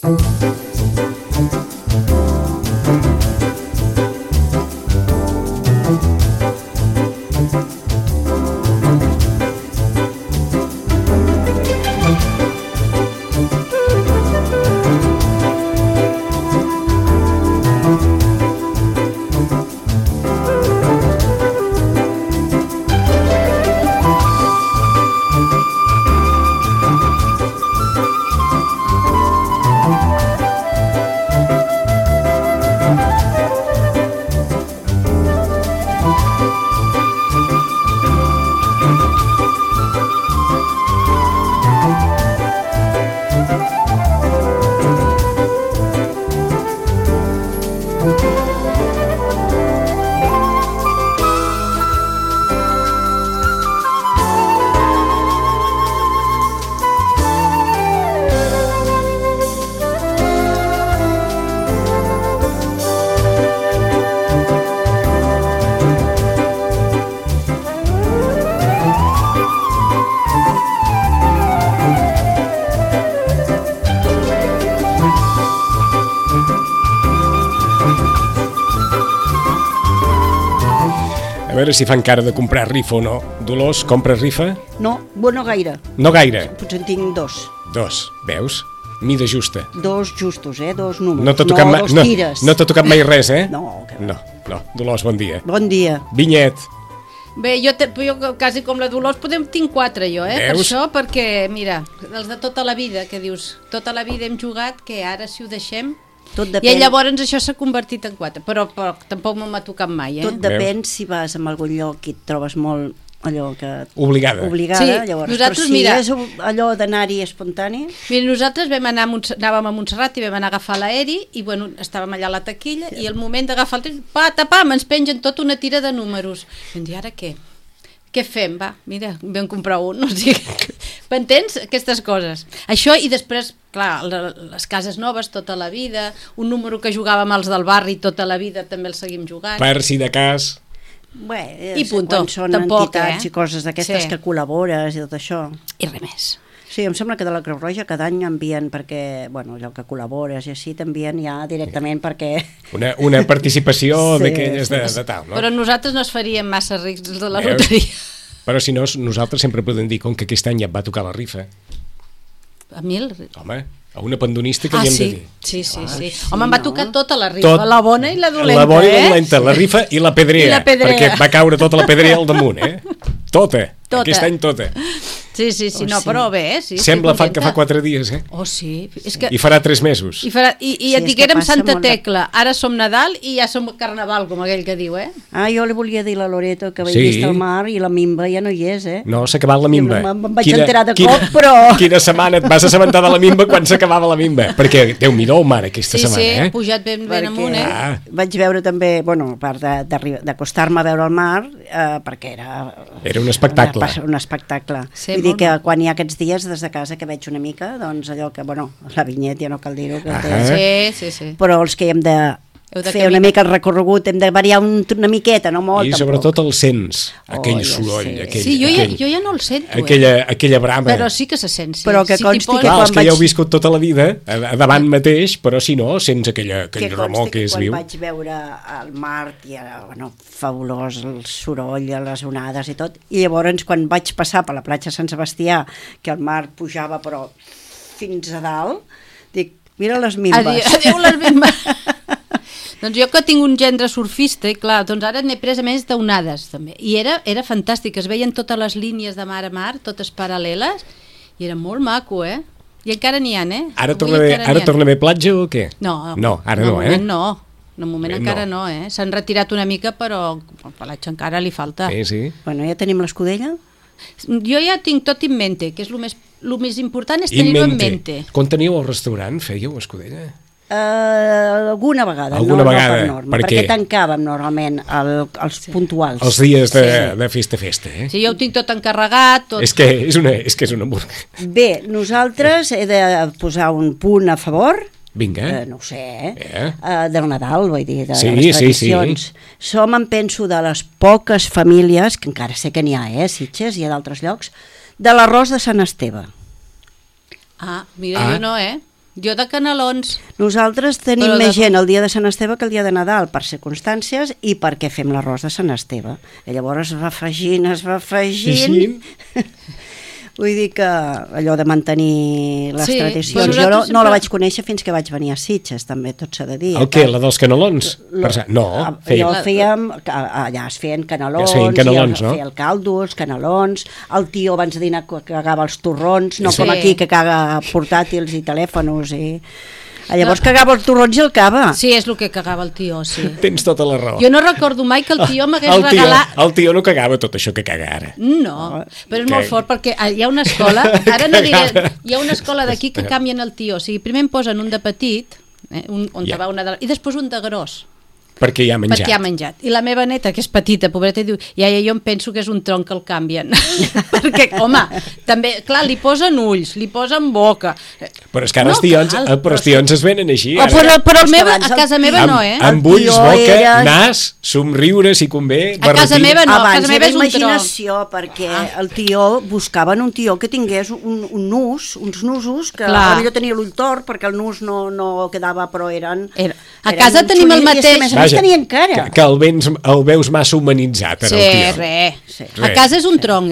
A veure si fan cara de comprar rifa o no. Dolors, compres rifa? No, bueno, gaire. No gaire? Potser en tinc dos. Dos, veus? Mida justa. Dos justos, dos números. No t'ha tocat, dos tires. No t'ha tocat mai res, eh? No, que no. Dolors, bon dia. Bon dia. Vinyet. Bé, jo quasi com la Dolors tinc 4 jo, Veus? Per això, perquè, mira, els de tota la vida, que dius, tota la vida hem jugat, que ara si ho deixem... Tot depèn. I llavors això s'ha convertit en 4, però tampoc m'ha tocat mai, Tot depèn si vas a algun lloc i et trobes molt allò que... Obligada, sí, llavors. Nosaltres, però si mira, és allò d'anar-hi espontani... Mira, nosaltres anàvem a Montserrat i vam anar a agafar l'aeri i bueno, estàvem allà a la taquilla i al moment d'agafar el tren, pam, ens pengen tota una tira de números. I em dic, ara què? Què fem? Va, mira, vam comprar un, o sigui, m'entens? Aquestes coses. Això i després, clar, les cases noves tota la vida, un número que jugàvem als del barri tota la vida també el seguim jugant. Per si de cas... Bé, I punto. Quan són Tampoc, entitats i coses d'aquestes que col·labores i tot això. I res més. Sí, em sembla que de la Creu Roja cada any envien perquè, bueno, allò que col·labores i així t'envien ja directament perquè... Una participació sí, d'aquelles de tal, no? Però nosaltres no es faríem massa rics de la loteria. Però si no, nosaltres sempre podem dir, com que aquest any ja et va tocar la rifa. A 1.000? Home, a una pandonista que li hem de dir. Sí. Home, em va tocar tota la rifa, la bona i la dolenta. La bona i la dolenta, la rifa i la pedrea. Perquè va caure tota la pedrea al damunt, Tota. Aquest any tota. Sí, no, però bé, sí. Sembla que fa 4 dies, Oh, sí. És que... I farà 3 mesos. I et diguérem Santa Tecla, ara som Nadal i ja som Carnaval, com aquell que diu, jo li volia dir a la Loreto que vaig vist el mar i la Mimba ja no hi és, No, s'ha acabat la Mimba. Me'n vaig enterar de cop, però... Quina setmana et vas assabentar de la Mimba quan s'acabava la Mimba? Perquè Déu-n'hi-do el mar aquesta setmana, Sí, ha pujat ben amunt, Vaig veure també, bueno, a part d'acostar-me a veure el mar, perquè era un espectacle. Un espectacle. Vull dir que quan hi ha aquests dies des de casa que veig una mica, doncs allò que, bueno, la Vinyet ja no cal dir-ho. Sí. Però els que hem de fer una mica el recorregut, hem de variar una miqueta, no molt. I sobretot el sents, aquell soroll. Sí, jo ja no el sento. Aquella brama. Però sí que se sent. Però que consti que clar, els que ja heu viscut tota la vida, davant mateix, però si no, sents aquell remor que és viu. Quan vaig veure el mar, i era fabulós, el soroll, les onades i tot, i llavors quan vaig passar per la platja Sant Sebastià, que el mar pujava però fins a dalt, dic, mira les mimbes. Adéu les mimbes. Doncs jo que tinc un gendre surfista, i clar, doncs ara n'he pres a més d'onades també, i era fantàstic, es veien totes les línies de mar a mar, totes paral·leles, i era molt maco, I encara n'hi ha, Ara torna a haver platja o què? No, ara no, De moment encara no, S'han retirat una mica, però el pelatge encara li falta. Sí. Bueno, ja tenim l'escudella? Jo ja tinc tot in mente, que és el més important és tenir-ho en mente. Quan teníeu el restaurant, fèieu escudella? Alguna vegada, no per norma, perquè tancàvem normalment els puntuals. Els dies de festa, Sí, jo ho tinc tot encarregat. És que és una burga. Bé, nosaltres he de posar un punt a favor. Vinga. No ho sé, del Nadal, vull dir, de les tradicions. Sí. Som, em penso, de les poques famílies, que encara sé que n'hi ha, Sitges i a d'altres llocs, de l'arròs de Sant Esteve. Mira, jo no, Jo de canelons. Nosaltres tenim més gent el dia de Sant Esteve que el dia de Nadal, per circumstàncies i perquè fem l'arròs de Sant Esteve. I llavors es va afegint. Vull dir que allò de mantenir les tradicions. Jo no la vaig conèixer fins que vaig venir a Sitges, també, tot s'ha de dir. El què, la dels canelons? No, allà es feien canelons, no? Feia el caldo, els canelons, el tio abans de dinar cagava els torrons, no com aquí que caga portàtils i telèfons i... Llavors cagava els torrons i el cava. Sí, és el que cagava el tio, sí. Tens tota la raó. Jo no recordo mai que el tio m'hagués regalat... El tio no cagava tot això que caga ara. No, però és molt fort perquè hi ha una escola, ara no diré, hi ha una escola d'aquí que canvien el tio, o sigui, primer em posen un de petit, i després un de gros. Perquè ja ha menjat. I la meva neta, que és petita, pobreta, diu, iaia, jo em penso que és un tronc que el canvien. Perquè, home, també, clar, li posen ulls, li posen boca. Però és que ara els tions es venen així. Però a casa meva no, Amb ulls, boca, nas, somriure, si convé, a casa meva no, a casa meva és un imaginació, perquè el tio, buscaven un tio que tingués un nus, uns nusos, que potser tenia l'ull tort, perquè el nus no quedava, però eren... A casa tenim el mateix... Que el veus massa humanitzat, el tio. Sí, a casa és un tronc,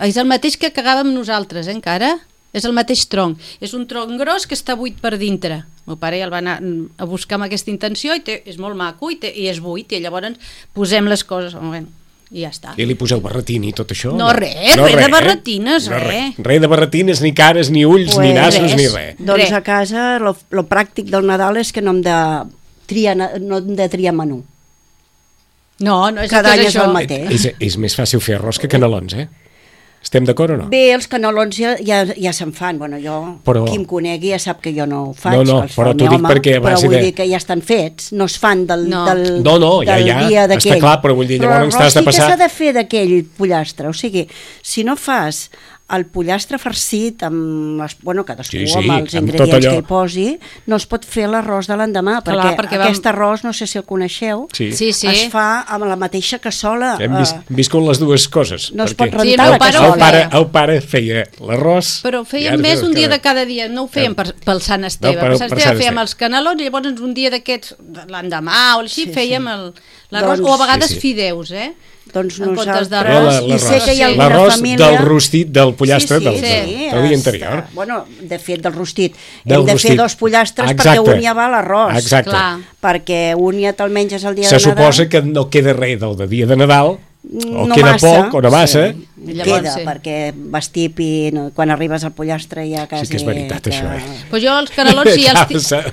és el mateix que cagàvem nosaltres, encara. És el mateix tronc. És un tronc gros que està buit per dintre. El meu pare ja el va anar a buscar amb aquesta intenció i és molt maco i és buit, i llavors posem les coses, i ja està. I li poseu barretini i tot això? No, res de barretines, res. Res de barretines, ni cares, ni ulls, ni nassos, ni res. Doncs a casa, lo pràctic del Nadal és que no hem de triar menú. No és cada any és el mateix. És més fàcil fer arròs que canelons, Estem d'acord o no? Bé, els canelons ja se'n fan. Bueno, qui em conegui ja sap que jo no ho faig. No, però t'ho dic perquè... Però vull dir que ja estan fets, no es fan del dia d'aquell. Està clar, però vull dir, llavors t'has de passar... Però el rostit que s'ha de fer d'aquell pollastre, o sigui, si no fas el pollastre farcit amb cadascú amb els ingredients que hi posi, no es pot fer l'arròs de l'endemà, perquè aquest arròs, no sé si el coneixeu, es fa amb la mateixa cassola. Hem viscut les dues coses. No es pot rentar la cassola. El pare feia l'arròs... Però fèiem més un dia de cada dia, no ho fèiem pel Sant Esteve. Per Sant Esteve fèiem els canelons i llavors un dia d'aquests, l'endemà o així, fèiem l'arròs, o a vegades fideus, Doncs l'arròs del rostit del pollastre del dia anterior. Bueno, de fet, del rostit. Hem de fer 2 pollastres perquè un ja va a l'arròs. Exacte. Perquè un ja te'l menges el dia de Nadal. Se suposa que no queda res del dia de Nadal, o queda poc o no massa. Queda, perquè vas tip i quan arribes al pollastre ja quasi... Sí que és veritat, això. Però jo els canelons,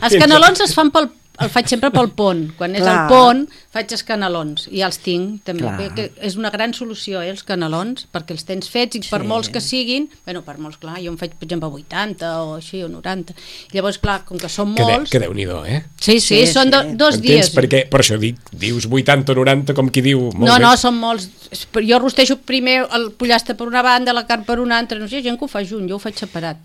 els canelons es fan el faig sempre pel pont. Quan és el pont, faig els canelons. I els tinc, també. És una gran solució, els canelons, perquè els tens fets i per molts que siguin... Per molts, clar, jo em faig, per exemple, 80 o així, o 90. Llavors, clar, com que són molts... Que Déu-n'hi-do, Sí, són 2 dies. Perquè, per això dius 80 o 90, com qui diu... No, són molts. Jo rostejo primer el pollastre per una banda, la carn per una altra. No sé, gent que ho fa junt, jo ho faig separat.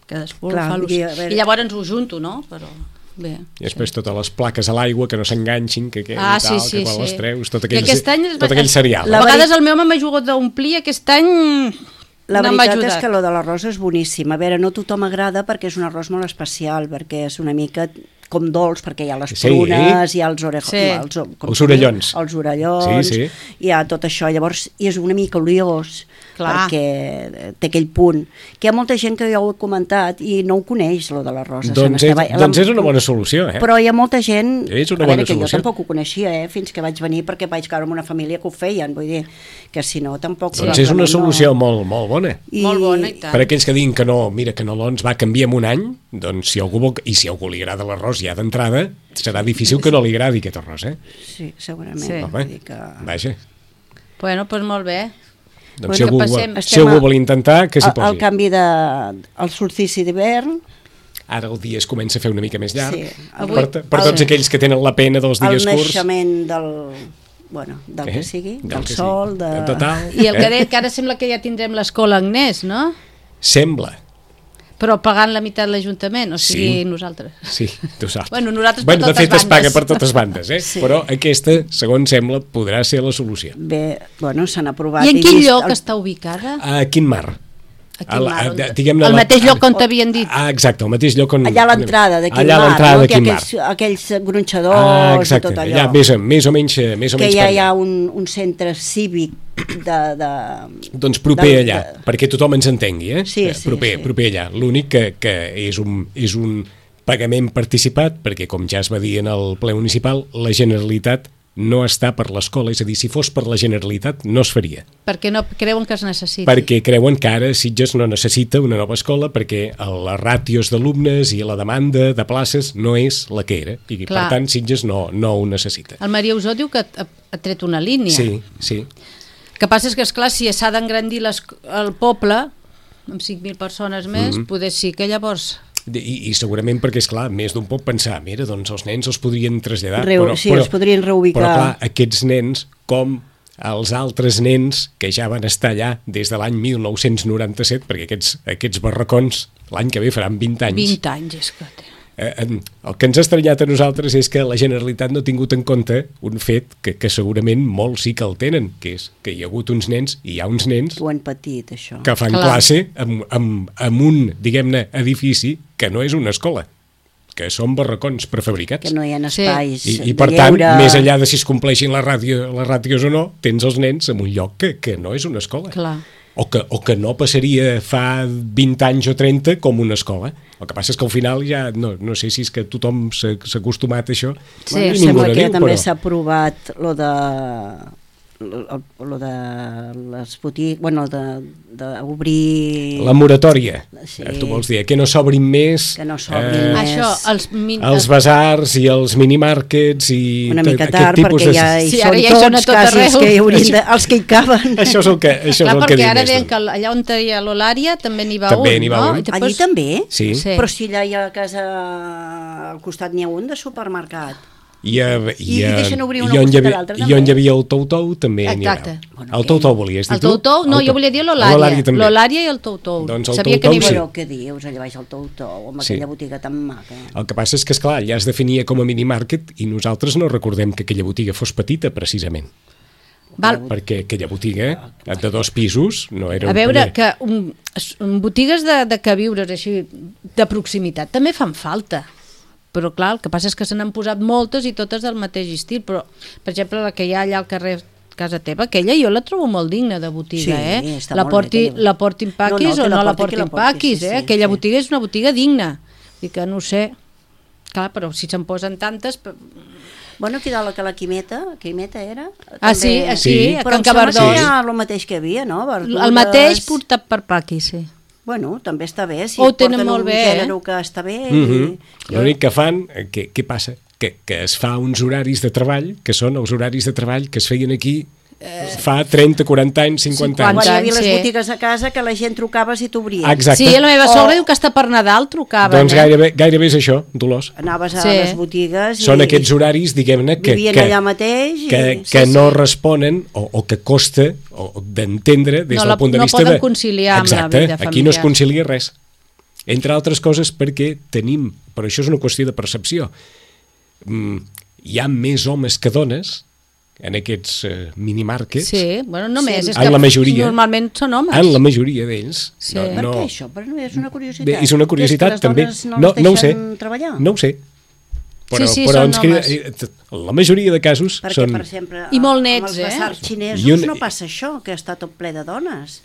Cadascú fa i llavors ho junto, no? Però... Bé, i després totes les plaques a l'aigua que no s'enganxin, que quan les treus, tot aquell serial. A vegades el meu home m'ha jugat d'omplir, aquest any la veritat és que lo de l'arròs és boníssim. A veure, no tothom agrada perquè és un arròs molt especial, perquè és una mica com dolç, perquè hi ha les prunes, hi ha els orellons, hi ha tot això, llavors és una mica oliós, perquè té aquell punt, que hi ha molta gent que ja ho ha comentat i no ho coneix, lo de l'arròs. Doncs és una bona solució, Però hi ha molta gent, a veure, que jo tampoc ho coneixia, fins que vaig venir, perquè vaig caure en una família que ho feien, vull dir, que si no tampoc... Doncs és una solució molt bona. Molt bona, i tant. Per aquells que diguin que no, mira, que canelons va canviar en un any, doncs si algú li agrada l'arròs ja d'entrada, serà difícil que no li agradi aquest arròs, Sí, segurament. Vaja. Bueno, doncs molt bé. Doncs si algú vol intentar, que s'hi posi. El canvi el solstici d'hivern. Ara el dia es comença a fer una mica més llarg. Per tots aquells que tenen la pena dels dies curts. El naixement del que sigui, del sol. I el que ara sembla que ja tindrem l'escola Agnès, no? Sembla. Però pagant la meitat l'Ajuntament, o sigui, nosaltres. Sí, tu saps. Nosaltres per totes bandes. De fet, es paga per totes bandes, però aquesta, segons sembla, podrà ser la solució. Bé, s'han aprovat... I en quin lloc està ubicada? A Quin Mar. diguem-ne, al mateix lloc on t'havien dit. Exacte, al mateix lloc on... Allà a l'entrada de Quim Mar, no? Té aquells gronxadors i tot allò. Allà, més o menys que ja hi ha un centre cívic doncs proper allà, perquè tothom ens entengui, Sí. Proper allà. L'únic que és un pagament participat, perquè com ja es va dir en el ple municipal, la Generalitat no està per l'escola, és a dir, si fos per la Generalitat no es faria. Perquè no creuen que es necessiti. Perquè creuen que ara Sitges no necessita una nova escola perquè les ràtios d'alumnes i la demanda de places no és la que era, i per tant Sitges no ho necessita. El Maria Usó diu que ha tret una línia. Sí. El que passa és que, esclar, si s'ha d'engrandir el poble amb 5.000 persones més, poder sí que llavors... I segurament perquè, esclar, més d'un pot pensar, mira, doncs els nens els podrien traslladar, els podrien reubicar. Però clar, aquests nens, com els altres nens que ja van estar allà des de l'any 1997, perquè aquests barracons l'any que ve faran 20 anys. 20 anys, és que... El que ens ha estranyat a nosaltres és que la Generalitat no ha tingut en compte un fet que segurament molts sí que el tenen, que és que hi ha hagut uns nens, i hi ha uns nens ho han patit, això, que fan classe amb un, diguem-ne, edifici que no és una escola, que són barracons prefabricats. Que no hi ha espais I per tant, més enllà de si es compleixin les ràtios o no, tens els nens en un lloc que no és una escola. Clar. O que no passaria fa 20 anys o 30 com una escola. El que passa és que al final ja no sé si és que tothom s'ha acostumat a això. Sí, sembla que també s'ha aprovat lo de les botigues, bueno, d'obrir... La moratòria, sí. Tu vols dir, que no s'obrin més... Que no s'obrin més... Això, els basars i els minimarkets i... Una mica tard, perquè ja hi són tots quasi els que hi caben. Això és el que diu més. Perquè ara deien que allà on hi ha l'Olària també n'hi va un, no? Allí també? Sí. Però si allà hi ha a casa al costat n'hi ha un de supermercat. I deixen obrir una costat a l'altra també. I on hi havia el Tou-Tou també n'hi havia. El Tou-Tou volies dir tu? El Tou-Tou, no, jo volia dir l'Olària. L'Olària i el Tou-Tou. Doncs el Tou-Tou sí. Però què dius, allà baix el Tou-Tou, amb aquella botiga tan maca. El que passa és que, esclar, ja es definia com a minimarket i nosaltres no recordem que aquella botiga fos petita, precisament. Perquè aquella botiga de 2 pisos no era... A veure, que botigues de queviures així, de proximitat, també fan falta. Però clar, el que passa és que se n'han posat moltes i totes del mateix estil, però per exemple la que hi ha allà al carrer casa teva, aquella jo la trobo molt digna de botiga, la portin paquis o no la portin paquis, aquella botiga és una botiga digna, i que no sé, clar, però si se'n posen tantes... Bueno, aquí dalt que la Quimeta era... Sí, a Can Cabardós. Però em sembla que era el mateix que hi havia, no? El mateix portat per paquis, sí. Bueno, també està bé, si porten un gènere que està bé... L'únic que fan, què passa? Que es fa uns horaris de treball, que són els horaris de treball que es feien aquí fa 30, 40 anys, 50 anys. Quan hi havia les botigues a casa que la gent trucava si t'obrien. Exacte. Sí, la meva sogra diu que hasta per Nadal trucaven. Doncs gairebé és això, Dolors. Anaves a les botigues i... Són aquests horaris, diguem-ne, vivien allà mateix que no responen o que costa d'entendre des del punt de vista de... No poden conciliar amb la vida familiar. Aquí no es concilia res. Entre altres coses perquè tenim, però això és una qüestió de percepció, hi ha més homes que dones en aquests minimarkets. Sí, bueno, només, és que normalment són homes. En la majoria d'ells. Sí. Per què això? Però és una curiositat. És una curiositat, també. No ho sé. Treballar? No ho sé. Però són homes. La majoria de casos perquè, són... Per exemple, i molt nets, amb els basars xinesos no passa això, que està tot ple de dones.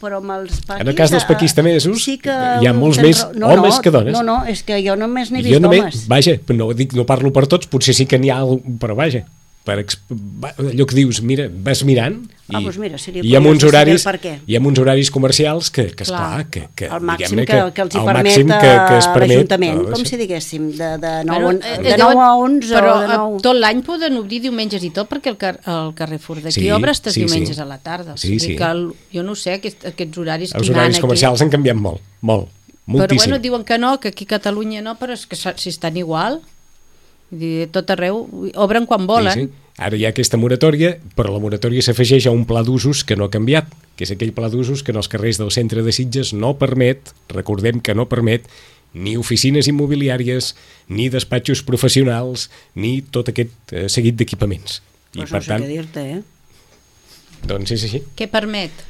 Però amb els paquis... En el cas dels paquistanesos sí que hi ha molts més homes que dones. No, és que jo només n'he vist homes. Vaja, no parlo per tots, potser sí que n'hi ha, però vaja. Allò que dius, mira, vas mirant doncs mira, i amb uns horaris comercials que esclar, que el màxim que els hi permet l'Ajuntament, com si diguéssim, de 9 a 11 però o de 9. Tot l'any poden obrir diumenges i tot, perquè el Carrefour d'aquí obre estes diumenges a la tarda, o sigui que jo no sé aquests horaris els horaris comercials han canviat moltíssim. Però bueno, diuen que no, que aquí a Catalunya no, però és que si estan igual, tot arreu obren quan volen. Sí. Ara hi ha aquesta moratòria, però la moratòria s'afegeix a un pla d'usos que no ha canviat, que és aquell pla d'usos que en els carrers del centre de Sitges no permet, recordem que no permet ni oficines immobiliàries, ni despatxos professionals, ni tot aquest seguit d'equipaments. Però no sé què dir-te, Doncs és així. Què permet?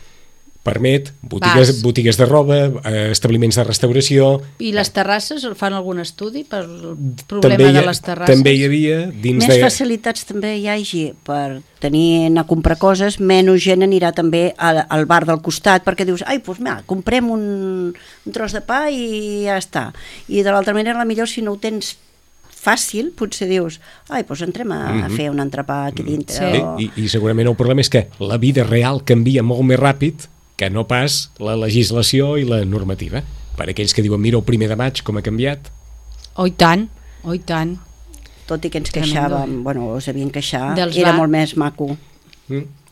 permet botigues de roba, establiments de restauració... I les terrasses, fan algun estudi per el problema de les terrasses? També hi havia... Més facilitats també hi hagi per anar a comprar coses, menys gent anirà també al bar del costat, perquè dius, doncs mira, comprem un tros de pa i ja està. I de l'altra manera, potser si no ho tens fàcil, potser dius, doncs entrem a fer un entrepà aquí dintre. Sí. I segurament el problema és que la vida real canvia molt més ràpid que no pas la legislació i la normativa. Per aquells que diuen, mira el 1 de maig com ha canviat. Oh, i tant, oh, i tant. Tot i que ens queixàvem, us havien queixat, era molt més maco.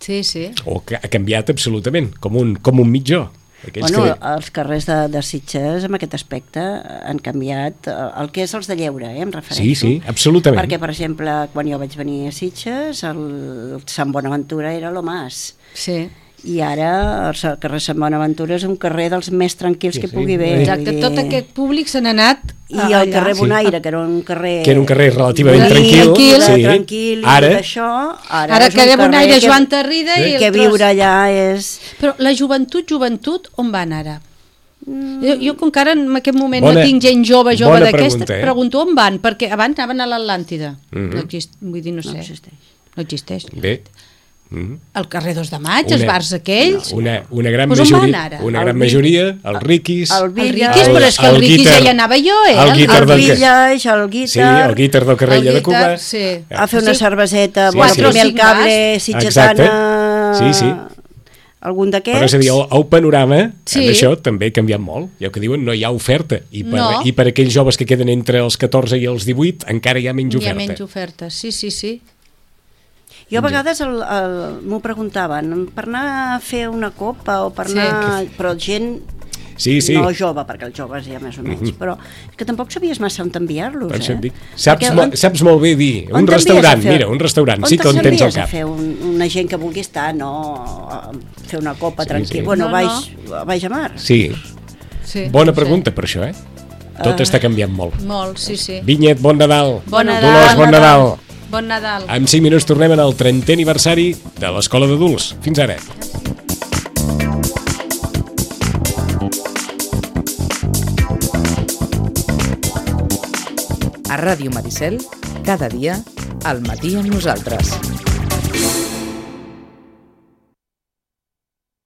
Sí, sí. O que ha canviat absolutament, com un mitjó. Els carrers de Sitges en aquest aspecte han canviat el que és els de lleure, em refereixo. Sí, absolutament. Perquè, per exemple, quan jo vaig venir a Sitges, el Sant Bonaventura era lo más. Sí. I ara el carrer Sant Bonaventura és un carrer dels més tranquils que pugui haver. Exacte, tot aquest públic se n'ha anat i el carrer Bonaire, que era un carrer relativament tranquil, ara que carrer Bonaire, Joan Tarrida i que viure allà és... Però la joventut, on van ara? Jo com que ara en aquest moment no tinc gent jove d'aquesta, pregunto on van, perquè abans anaven a l'Atlàntida. Vull dir, no sé. No existeix. Bé. El carrer 2 de Maig, els bars aquells... Una gran majoria, el Riquis... El Riquis, però és que el Riquis ja hi anava jo, el Village, el Guitar... Sí, el Guitar del Carrella de Cuba... A fer una cerveseta, primer el cable, sitgetana... Sí. Algun d'aquests... Però és a dir, el panorama, amb això, també ha canviat molt. Ja que diuen, no hi ha oferta. I per aquells joves que queden entre els 14 i els 18, encara hi ha menys oferta. Hi ha menys oferta, sí. Jo a vegades m'ho preguntaven, per anar a fer una copa o per anar... Però gent no jove, perquè els joves ja més o menys, però que tampoc sabies massa on t'enviar-los, Saps molt bé dir, un restaurant, sí que on tens al cap. On fer una gent que vulgui estar, no fer una copa tranquil. Bueno, baix a mar. Sí. Bona pregunta per això, Tot està canviant molt. Molt, sí. Vinyet, bon Nadal. Dolors, bon Nadal. Bon Nadal. En 5 minuts tornem al 30è aniversari de l'Escola d'Adults. Fins ara. A Ràdio Maricel, cada dia, al matí amb nosaltres.